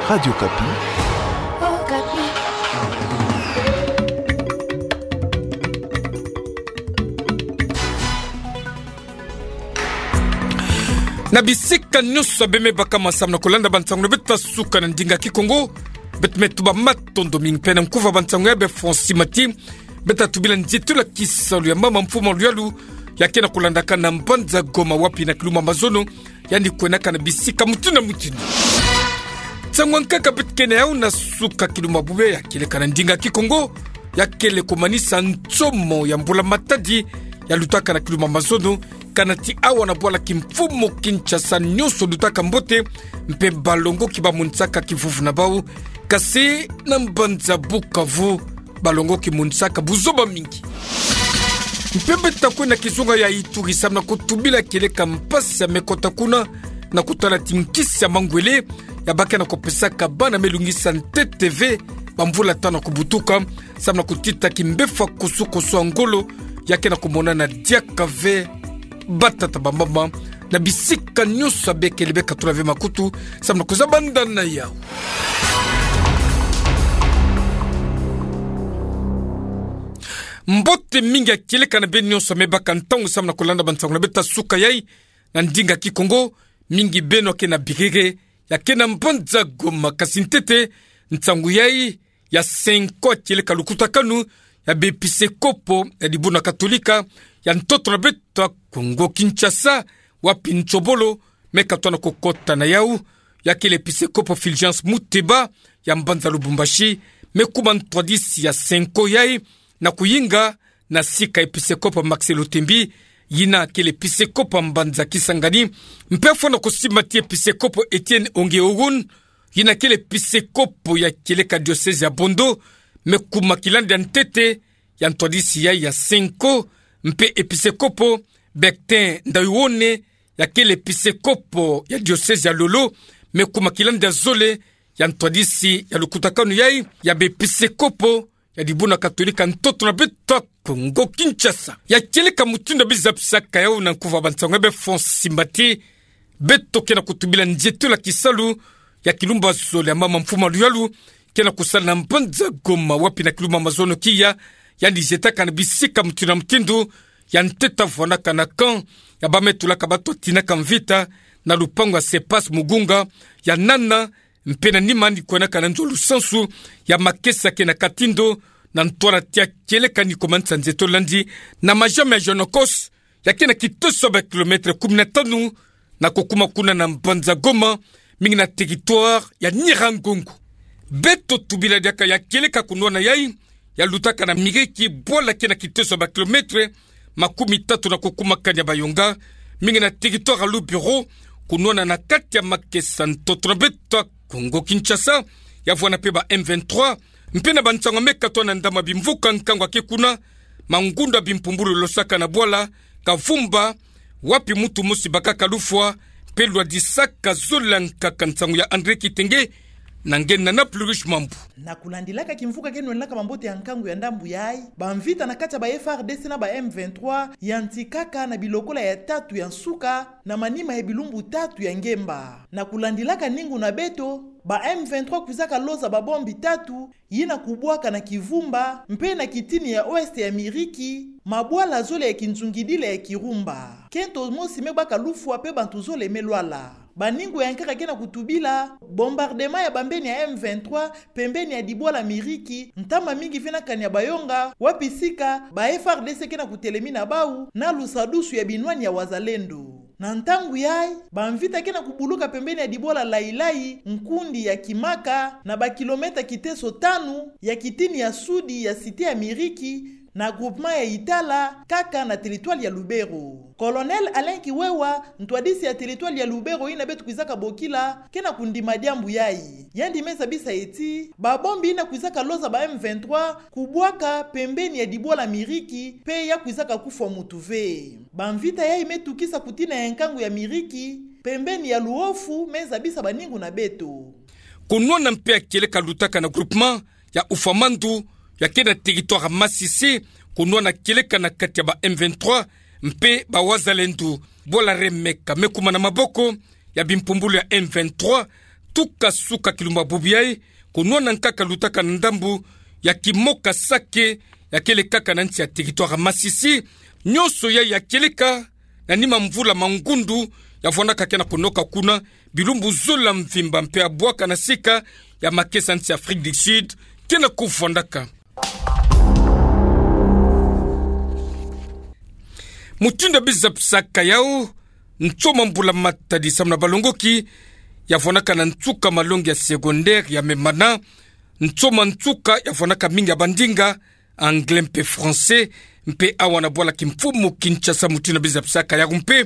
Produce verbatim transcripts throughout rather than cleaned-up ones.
Radio Okapi. Na bisika nyonso abe me bakama samu na kolanda bansango na beto ya suka na ndinga Kikongo, beto me tuba matondo mingi. Mpe na nkuva bansango ya be Francis Mati, beto tubila nzietolo ya kisalu ya mama mfumu ya luyalu, ya ke na kolandaka na mbanza Goma wapi na kilumbu ya mazono, yandi kwenaka na bisika mutindu na mutindu. Nsangu ya nkaka beto ke na yau na suka kilumbu ya bubê ya kieleka na ndinga Kikongo, ya kele komanisa nsomo ya mbula matadi ya lutaka na kilumbu ya mazono, kana ti awa na bwala kimfumu Kinshasa nyonso lutaka mbote, mpe balongoki bamonisaka kivuvu na bau, kasi na mbanza Bukavu, balongoki monisaka buzoba mingi. Mpe beto kwe na kizunga ya Ituri samu na kutubila kieleka mpasi ya me kota kuna, na kutala ti nkisi ya mangwele ya ba ke na kopesaka bana me lungisa ntete ve bamvula tanu ya kubutuka, samu na kutita kimbefa kusu-kusu ya ngolo ya ke na komonana diaka ve. Batata, bamama, na bisika nyonso abe kele, be katula ve makutu samu na kuzabanda na yau. Mbote mingi ya kieleka na beno nyonso me baka ntangu samu na kolanda bansango na beto ya suka yai na ndinga Kikongo, mingi beno ke na bikeke ya ke na mbanza Goma, kasi ntete nsangu yai ya Cenco ya kieleka lukutakanu ya bepisekopo ya dibundu ya Katolika ya ntoto na beto ya Kongo Kinshasa, wapi Ntsobolo me katoa na kokota na yau, ya kele episekopo Fulgence Muteba ya mbanza Lubumbashi, me kuma ntwadisi ya Cenco yai, na kuyinga na sika episekopo Max Lotembi, yina kele episekopo ya mbanza Kisangani, mpe fwana kusimba ti episekopo Etienne Onge Ogun, yina kele episekopo ya kieleka diosezi ya Bondo, me kuma kilandi ya ntete ya ntwadisi yai ya Cenco, mpe episekopo Bertin Ndaiwone, ya kele episekopo ya diosezi ya Lolo, me kuma kilandi ya zole ya ntwadisi ya lukutakanu yai ya bepisekopo ya dibundu ya Katolika ntoto na beto ya Kongo Kinshasa. Ya kieleka mutindu ya bizapisaka yau na nkuva bansango ya be Francis Mati, beto ke na kutubila nzietolo ya kisalu ya kilumbu ya zole ya mama mfumu ya luyalu, ke na kusala na mbanza Goma, wapi na kilumbu ya mazono kia, yandi zietaka na bisika mutindu na mutindu, ya ntete vwanaka na camp ya ba me tulaka bato tinaka mvita, na lupangu ya Sepas Mugunga, ya nana, mpe na nima yandi kwenaka na nzo lusansu ya Makesa ke na Katindo, na ntwala tia kieleka ni komanisa nzietolo landi na majama ya Jonokos, ya ke na kitoso ya ba kilomètre kumi na tanu, na kukuma kuna na mbanza Goma, mingi na territoire ya Nyiragongo. Beto tubila diaka ya kieleka kunwana yai, ya lutaka na Miriki, bwala ke na kitoso ya ba kilomètre makumi tatu na kukuma kani ya Bayonga, mingi na territoire ya Lubero, kunwana na kati ya Makesa ntoto na beto ya Kongo Kinshasa, ya vwana mpe ba M vingt-trois, mpe na bansango me katoa na ndama bimvuka nkangu ya ke kuna, mangundu ya bimpumbulu losaka na bwala Kavumba, wapi muntu mosi bakaka lufwa, mpe lwadisaka zola nkaka. Nsangu ya André Kitenge, na nge Nana Plurish Mambu. Na kulandilaka kimvuka ke nwenaka mambote ya nkangu ya ndambu yai, bamvita na kati ya ba F R D C na ba M vingt-trois yantikaka na bilokola ya tatu ya nsuka, na manima ya bilumbu tatu ya ngemba. Na kulandilaka ningu na beto, ba M vingt-trois kwizaka loza babombi tatu, yina kubwaka na Kivumba, mpe na kitini ya ouest ya Miriki, mabwala zole ya kinzungidila ya Kirumba. Kento mosi me baka lufwa mpe bantu zole me lwala. Baningu ya nkaka ke na kutubila, bombardement ya bambeni ya M vingt-trois pembeni ya dibwala Miriki, ntama mingi ve na kani ya Bayonga, wapi sika ba F R D C ke na kutelemina bau, na lusadusu ya binwani ya Wazalendo. Na ntangu yai, bamvita ke na kubuluka pembeni ya dibwala Lailai, nkundi ya Kimaka, na ba kilomètre kiteso tanu ya kitini ya sudi ya cité ya Miriki, na groupement ya Itala, kaka na territoire ya Lubero. Colonel Alain Kiwewa, ntwadisi ya territoire ya Lubero yina beto kwizaka bokila, ke na kundima diambu yai. Yandi me zabisa ti, babombi yina kwizaka loza ba M vingt-trois, kubwaka pembeni ya dibwala Miriki, mpe ya kwizaka kufwa muntu ve. Bamvita yai me tukisa kutina ya nkangu ya Miriki, pembeni ya Luofu, me zabisa baningu na beto. Kunwana mpe ya kieleka lutaka na groupement ya Ufamandu, ya ke na territoire Masisi, kunwana kieleka na kati ya ba M vingt-trois mpe ba Wazalendo. Bwala Remeka me kuma na maboko ya bimpumbulu ya M vingt-trois, tuka suka kilumba bubu yai, ko nwana nkaka lutaka na ndambu ya Kimoka Sake, ya kele kaka na nsi ya territoire Masisi. Nyonso yai ya kieleka na nima mvula ma ngundu ya vwandaka ke na konoka kuna, bilumbu zola mvimba mpe ya bwaka na sika ya makesa nsi Afrique du Sud ke na kuvwandaka. Mutindu ya bizapisaka yau, ntsoma mbula matadi samu na balongoki ya vwandaka na nsuka malongi ya secondaire ya Memana, ntsoma nsuka ya vwandaka mingi ya bandinga, anglais mpe français, mpe awa na bwala kimfumu Kinshasa, mutindu ya bizapisaka yau mpe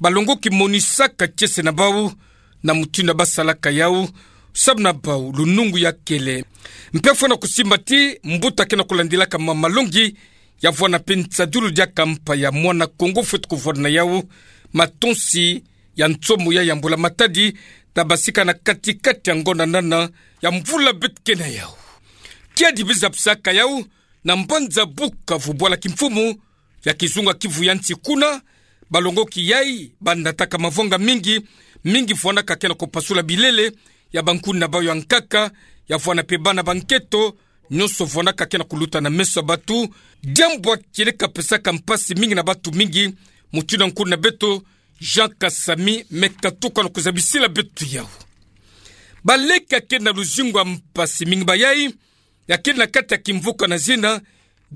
balongoki monisaka kiese na bau na mutindu ya basalaka yau, samu na bau lunungu ya kele. Mpe fwana kusimba ti mbuta ke na kulandilaka ma malongi ya vwanda mpe nsadulu diaka mpa ya mwana Kongo fweti kuvwanda na yau, matonsi ya nsomo ya ya mbula matadi, ta basika na kati-kati ya ngonda nana ya mvula beto ke na yau. Kiadi bizapisaka yau na mbanza Bukavu, bwala kimfumu ya kizunga Kivu ya nsi kuna, balongoki yai banataka mavwanga mingi, mingi vwandaka ke na kupasula bilele ya bankuni na bau ya nkaka, ya vwanda mpe bana ba nketo, nyonso vwandaka ke na kuluta na meso ya batu. Diambu ya kieleka pesaka mpasi mingi na batu mingi, mutindu nkuni na beto Jean Kasami me katuka na kuzabisila beto yau. Baleke ya ke na luzingu ya mpasi mingi bayai, ya kele na kati ya kimvuka na zina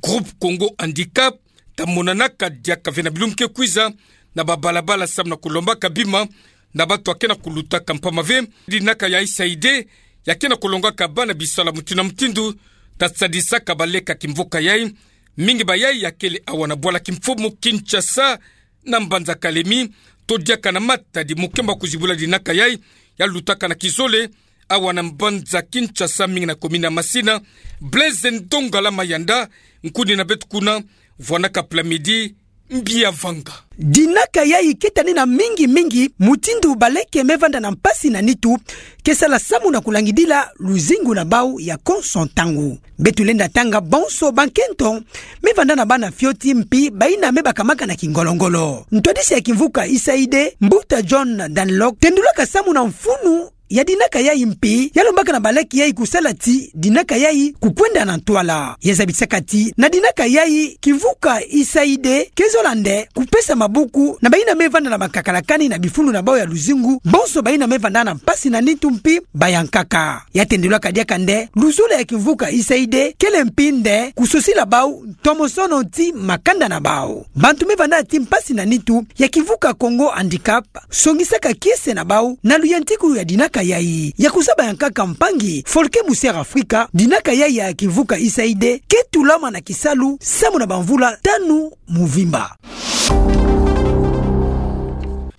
Groupe Congo Handicap, ta monanaka diaka ve na bilumbu ke kwiza na babalabala samu na kulombaka bima na batu ya ke na kulutaka, mpamba ve dinaka ya USAID ya ke na kulongaka bana bisalu ya mutindu na mutindu, ta sadisaka baleke ya kimvuka yai. Mingi bayai ya kele awa na bwala kimfumu Kinshasa, na mbanza Kalemi, to diaka na Matadi, mukemba kuzibula dinaka yai ya lutaka na kizole awa na mbanza Kinshasa, mingi na commune ya Masina. Blaise Ndongala Mayanda, nkuni na beto kuna, vwandaka Plamedi, mbi ya vanga. Dinaka yai ke tani na mingi-mingi mutindu baleke me vanda na mpasi na nitu ke sala samu na kulangidila luzingu na bau ya konso ntangu. Beto lenda tanga bonso bankento me vanda na bana fioti mpi baina me bakamaka na kingolo-ngolo. Ntwadisi ya kimvuka USAID, mbuta John Dunlop, tendulaka samu na mfunu ya dinaka yai mpi ya lombaka na baleke yai kusala ti dinaka yai kukwenda na ntwala. Ya zabisaka ti na dinaka yai kimvuka USAID ke zola nde kupesa mabuku na baina me vanda na bakakalakani na bifulu na bau ya luzingu, bonso baina me vanda na mpasi na nitu mpi bayankaka. Ya tendulaka diaka nde luzolo ya kimvuka USAID kele mpi nde kusosila bau ntomosono ti makanda na bau. Bantu me vanda ti mpasi na nitu ya kimvuka Congo Handicap songisaka kiese na bau na luyantikulu ya dinaka yai. Ya kuzaba yankaka mpangi Folke Musiere Afrika, dinaka yai ya kimvuka USAID ke tulama na kisalu samu na bamvula tanu mvimba.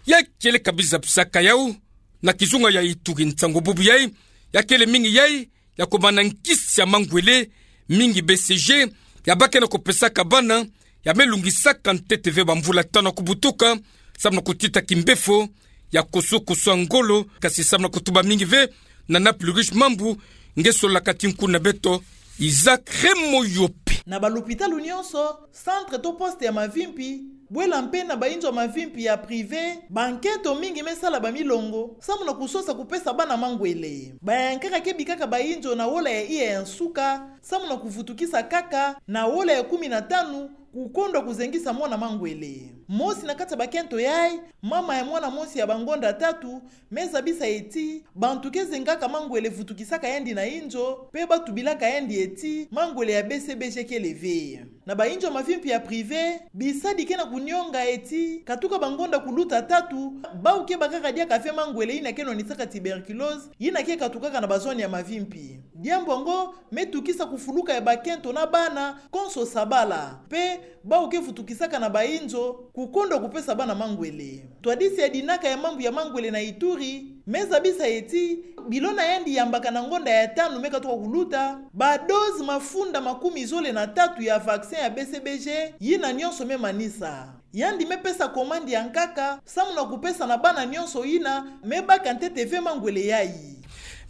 Ya kieleka bizapisaka yau na kizunga ya Ituri, nsangu bubu yai ya kele mingi yai ya kumana nkisi ya mangwele, mingi B C G ya bake na kupesaka bana ya me lungisaka ntete ve bamvula tanu ya kubutuka, samu na kutita kimbefo ya kusu-kusu ya ngolo, kasi samu na kutuba mingi ve na Nord-Kivu mambu, nge solaka ti nkuni na beto Isaac Remoyope. Na balopitalo nyonso, centre to poste ya mavimpi, bwela mpe na bainzo mavimpi ya privé, bankento mingi me sala bamilongo samu na kusosa kupesa bana mangwele. Bayankaka ke bikaka bainzo na wola ya iya ya nsuka, samu na kuvutukisa kaka na wola ya kumi na tanu kukondwa kuzengisa mwana mangwele. Mosi na kati ya bakento yai, mama ya mwana mosi ya bangonda tatu, me zabisa ye ti bantu ke zengaka mangwele vutukisaka yandi na inzo, mpe ba tubilaka yandi ye ti mangwele ya B C B G kele ve. Na bainzo mavimpi ya privé, bisadi ke na kunionga ye ti katuka bangonda kuluta tatu, bau ke bakaka diaka ve mangwele yina ke nwanisaka tuberculose, yina ke katukaka na bazone ya mavimpi. Diambu yango me tukisa kufuluka ya bakento na bana konso sabala, mpe bau ke vutukisaka na bainzo kukondwa kupesa bana mangwele. Ntwadisi ya dinaka ya mambu ya mangwele na Ituri me zabisa ye ti, bilo na yandi yambaka na ngonda ya tanu me katuka kuluta, badose mafunda makumi zole na tatu ya vaccin ya B C B G, yina nyonso me manisa. Yandi me pesa commande ya nkaka samu na kupesa na bana nyonso yina me baka ntete ve mangwele yai.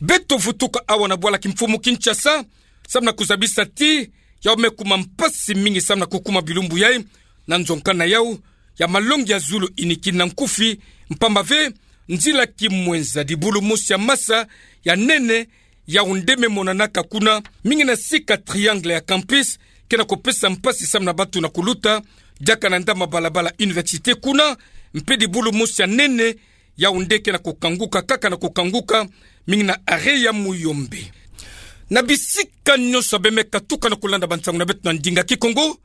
Beto vutuka awa na bwala kimfumu Kinshasa, samu na kuzabisa ti yau me kuma mpasi mingi samu na kukuma bilumbu yai na nzonka na yau ya malongi ya zulu inikini na nkufi, mpamba ve Nzila kimwenza dibulu mosi ya masa ya nene, Yaoundé me monanaka kuna, mingi na sika Triangle ya Campus, ke na kopesa mpasi samu na batu na kuluta, diaka na ndama balabala université kuna, mpe dibulu mosi ya nene, Yaoundé ke na kokanguka, kaka na kokanguka, mingi na arrêt ya Muyombe. Na bisika nyonso beno me katuka na kolanda bansangu na beto na ndinga Kikongo,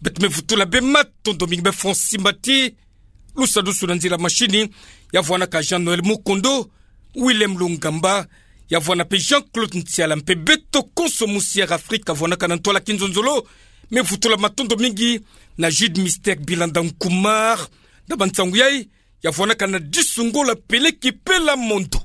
beto me vutula beno matondo mingi. Beno fwa simba ti lusadusu na nzila mashini, ya vwanaka Jean-Noël Mukondo, Willem Lungamba, ya vwana mpe Jean-Claude Ntiala, mpe beto konso musi Air Afrique vwanaka na ntwala kinzonzolo, me vutula matondo mingi na Jude Mystère Bilanda Nkumar, na bansangu yayi, ya vwanaka na Disungola Peleki Pela Mondo.